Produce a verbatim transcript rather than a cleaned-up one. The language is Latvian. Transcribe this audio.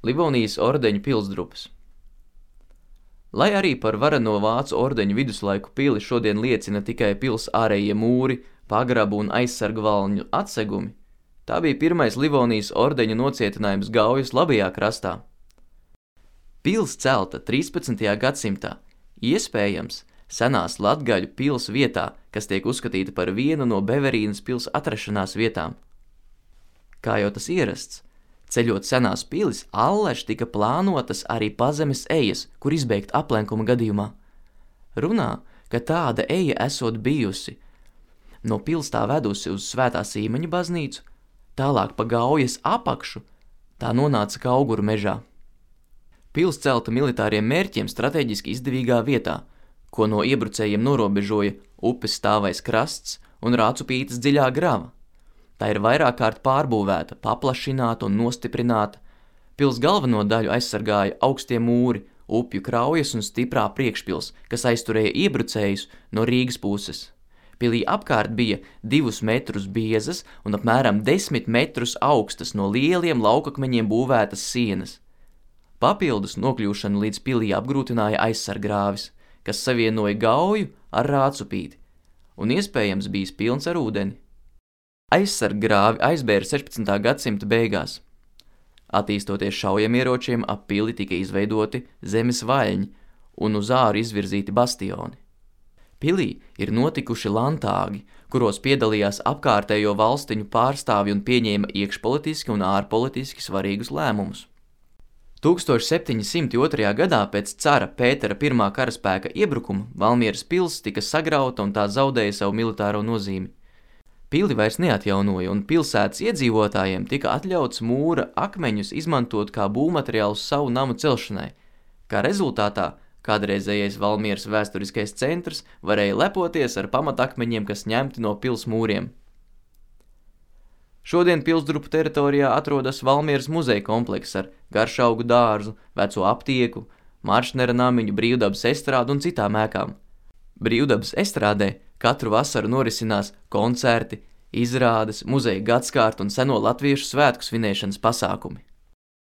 Livonijas ordeņa pilsdrupas. Lai arī par vareno vācu ordeņu viduslaiku pili šodien liecina tikai pils ārējie mūri, pagrabu un aizsargvalņu atsegumi, tā bija pirmais Livonijas ordeņa nocietinājums Gaujas labajā krastā. Pils celta trīspadsmitajā gadsimtā, iespējams, senās latgaļu pils vietā, kas tiek uzskatīta par vienu no Beverīnas pils atrašanās vietām. Kā jau tas ierasts, ceļot senās pilis, allaž tika plānotas arī pazemes ejas, kur izbeigt aplenkuma gadījumā. Runā, ka tāda eja esot bijusi no pils tā vedusi uz Svētā Sīmeņa baznīcu, tālāk pa Gaujas apakšu, tā nonāca Kauguru mežā. Pils celta militāriem mērķiem strateģiski izdevīgā vietā, ko no iebrucējiem norobežoja upes stāvais krasts un Rācupītes dziļā grava. Tā ir vairāk kārt pārbūvēta, paplašināta un nostiprināta. Pils galveno daļu aizsargāja augstie mūri, upju kraujas un stiprā priekšpils, kas aizturēja iebrucējus no Rīgas puses. Pilī apkārt bija divus metrus biezas un apmēram desmit metrus augstas no lieliem laukakmeņiem būvētas sienas. Papildus nokļūšanu līdz pilī apgrūtināja aizsargrāvis, kas savienoja Gauju ar Rācupīti un iespējams bijis pilns ar ūdeni. Aizsarggrāvi aizbēra sešpadsmitā gadsimta beigās. Attīstoties šaujamieročiem, ap pili tika izveidoti zemes vaļņi un uz āru izvirzīti bastioni. Pilī ir notikuši lantāgi, kuros piedalījās apkārtējo valstiņu pārstāvji un pieņēma iekšpolitiski un ārpolitiski svarīgus lēmumus. tūkstoš septiņi simti otrajā gadā pēc cara Pētera pirmā karaspēka iebrukuma Valmieras pils tika sagrauta un tā zaudēja savu militāro nozīmi. Pili vairs neatjaunoja un pilsētas iedzīvotājiem tika atļauts mūra akmeņus izmantot kā būvmateriālus savu namu celšanai. Kā rezultātā kādreizējais Valmieras vēsturiskais centrs varēja lepoties ar pamatakmeņiem, kas ņemti no pils mūriem. Šodien pilsdrupu teritorijā atrodas Valmieras muzeja komplekss ar garšaugu dārzu, veco aptieku, Maršnera namiņu, brīvdabas estrādu un citām ēkām. Brīvdabas estrādē katru vasaru norisinās koncerti, izrādes, muzeja gadskārtu un seno latviešu svētku svinēšanas pasākumi.